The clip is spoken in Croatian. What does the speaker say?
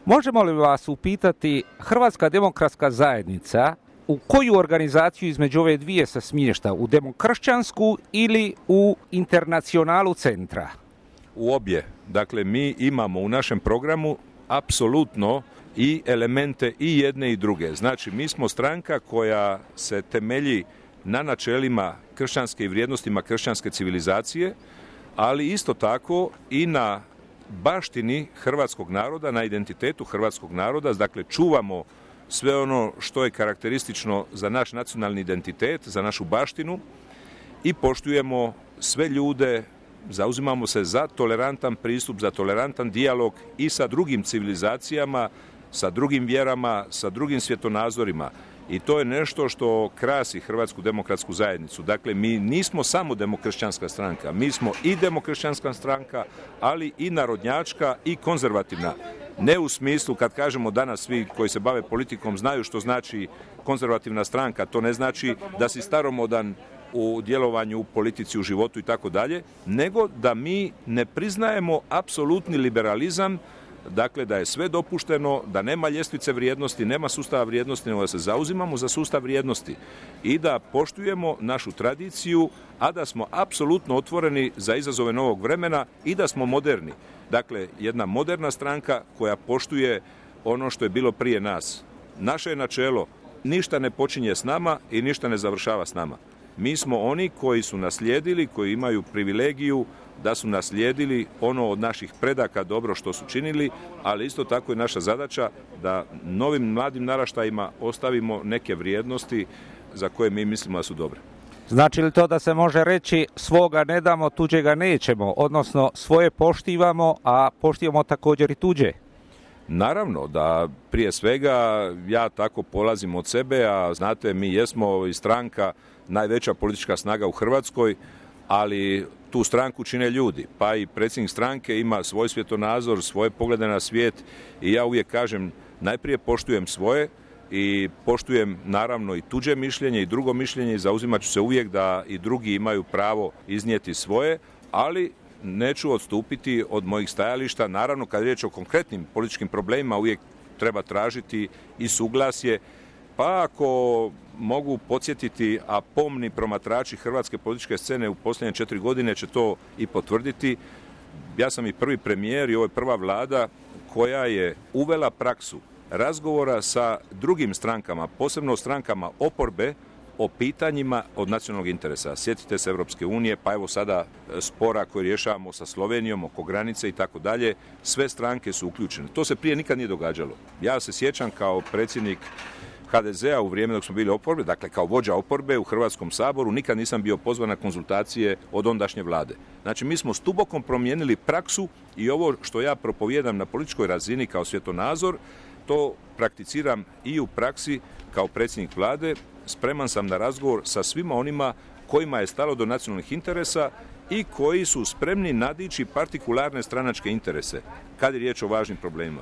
Možemo li vas upitati, Hrvatska demokratska zajednica u koju organizaciju između ove dvije se smješta? U demokršćansku ili u internacionalu centra? U obje. Dakle, mi imamo u našem programu apsolutno i elemente i jedne i druge. Znači, mi smo stranka koja se temelji na načelima kršćanske i vrijednostima kršćanske civilizacije, ali isto tako i na baštini hrvatskog naroda, na identitetu hrvatskog naroda. Dakle, čuvamo sve ono što je karakteristično za naš nacionalni identitet, za našu baštinu i poštujemo sve ljude, zauzimamo se za tolerantan pristup, za tolerantan dijalog i sa drugim civilizacijama, sa drugim vjerama, sa drugim svjetonazorima. I to je nešto što krasi Hrvatsku demokratsku zajednicu. Dakle, mi nismo samo demokršćanska stranka, mi smo i demokršćanska stranka, ali i narodnjačka i konzervativna. Ne u smislu, kad kažemo danas svi koji se bave politikom znaju što znači konzervativna stranka, to ne znači da si staromodan u djelovanju, u politici, u životu i tako dalje, nego da mi ne priznajemo apsolutni liberalizam, dakle da je sve dopušteno, da nema ljestvice vrijednosti, nema sustava vrijednosti, nego da se zauzimamo za sustav vrijednosti i da poštujemo našu tradiciju, a da smo apsolutno otvoreni za izazove novog vremena i da smo moderni. Dakle, jedna moderna stranka koja poštuje ono što je bilo prije nas. Naše je načelo, ništa ne počinje s nama i ništa ne završava s nama. Mi smo oni koji su naslijedili, koji imaju privilegiju da su naslijedili ono od naših predaka dobro što su činili, ali isto tako je naša zadaća da novim mladim naraštajima ostavimo neke vrijednosti za koje mi mislimo da su dobre. Znači li to da se može reći svoga ne damo, tuđega nećemo, odnosno svoje poštivamo, a poštivamo također i tuđe? Naravno da prije svega ja tako polazim od sebe, a znate mi jesmo i stranka najveća politička snaga u Hrvatskoj, ali tu stranku čine ljudi, pa i predsjednik stranke ima svoj svjetonazor, svoje poglede na svijet i ja uvijek kažem najprije poštujem svoje i poštujem naravno i tuđe mišljenje i drugo mišljenje i zauzimat ću se uvijek da i drugi imaju pravo iznijeti svoje, ali neću odstupiti od mojih stajališta. Naravno, kad je riječ o konkretnim političkim problemima uvijek treba tražiti i suglasje, pa ako mogu podsjetiti, a pomni promatrači hrvatske političke scene u posljednje 4 godine će to i potvrditi, ja sam i prvi premijer i ovo je prva vlada koja je uvela praksu razgovora sa drugim strankama, posebno strankama oporbe, o pitanjima od nacionalnog interesa. Sjetite se Europske unije, pa evo sada spora koji rješavamo sa Slovenijom oko granice i tako dalje. Sve stranke su uključene. To se prije nikad nije događalo. Ja se sjećam kao predsjednik HDZ-a u vrijeme dok smo bili oporbe, dakle kao vođa oporbe u Hrvatskom saboru, nikad nisam bio pozvan na konzultacije od ondašnje vlade. Znači mi smo stubokom promijenili praksu i ovo što ja propovijedam na političkoj razini kao svjetonazor, to prakticiram i u praksi kao predsjednik vlade. Spreman sam na razgovor sa svima onima kojima je stalo do nacionalnih interesa i koji su spremni nadići partikularne stranačke interese kad je riječ o važnim problemima.